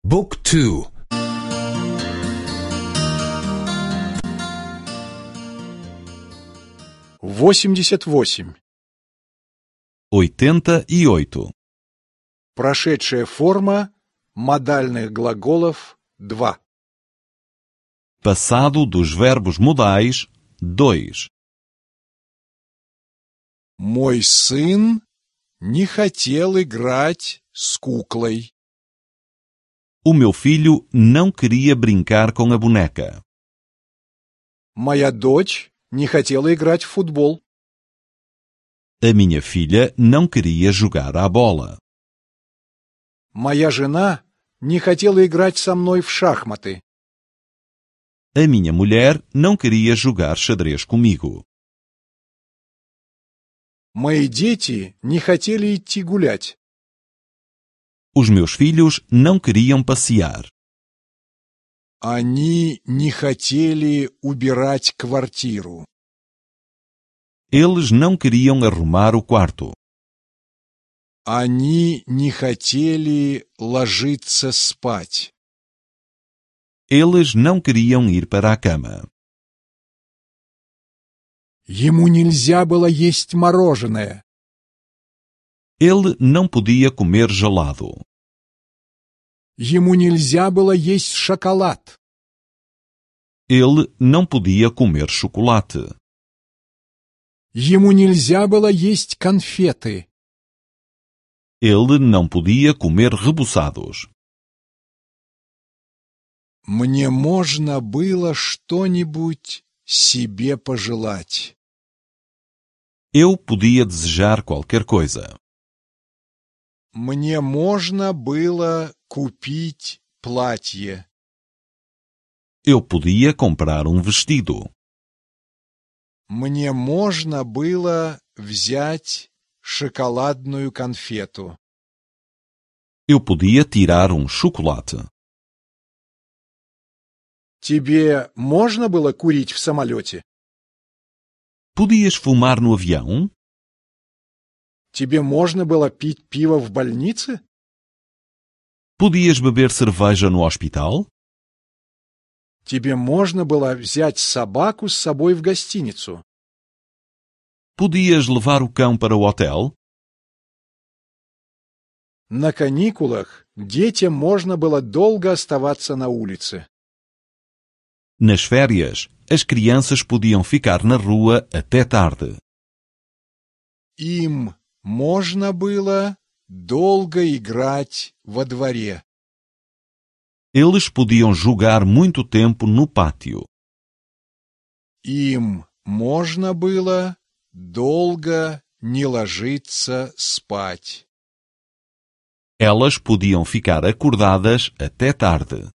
بوك تو 88. 88. Прошедшая форма модальных глаголов 2. Passado dos verbos modais 2. Мой сын не хотел играть с куклой. O meu filho não queria brincar com a boneca. Моя дочь не хотела играть в футбол. A minha filha não queria jogar à bola. Моя жена не хотела играть со мной в шахматы. A minha mulher não queria jogar xadrez comigo. Мои дети не хотели идти гулять. Os meus filhos não queriam passear. Они не хотели убирать квартиру. Eles não queriam arrumar o quarto. Они не хотели ложиться спать. Eles não queriam ir para a cama. Ему нельзя было есть мороженое. Ele não podia comer gelado. Ему нельзя было есть шоколад. Ele não podia comer chocolate. Ему нельзя было есть конфеты. Ele não podia comer reboçados. Мне можно было что-нибудь себе пожелать. Eu podia desejar qualquer coisa. Мне можно было купить платье. Eu podia comprar um vestido. Мне можно было взять шоколадную конфету. Eu podia tirar um chocolate. Тебе можно было курить в самолете? Podias fumar no avião? Тебе можно было пить пиво в больнице? Podias beber cerveja no hospital? Тебе можно было взять собаку с собой в гостиницу? Podias levar o cão para o hotel? На каникулах детям можно было долго оставаться на улице. Nas férias, as crianças podiam ficar na rua até tarde. Им можно было долго играть во дворе. Eles podiam jogar muito tempo no pátio. Им можно было долго не ложиться спать. Elas podiam ficar acordadas até tarde.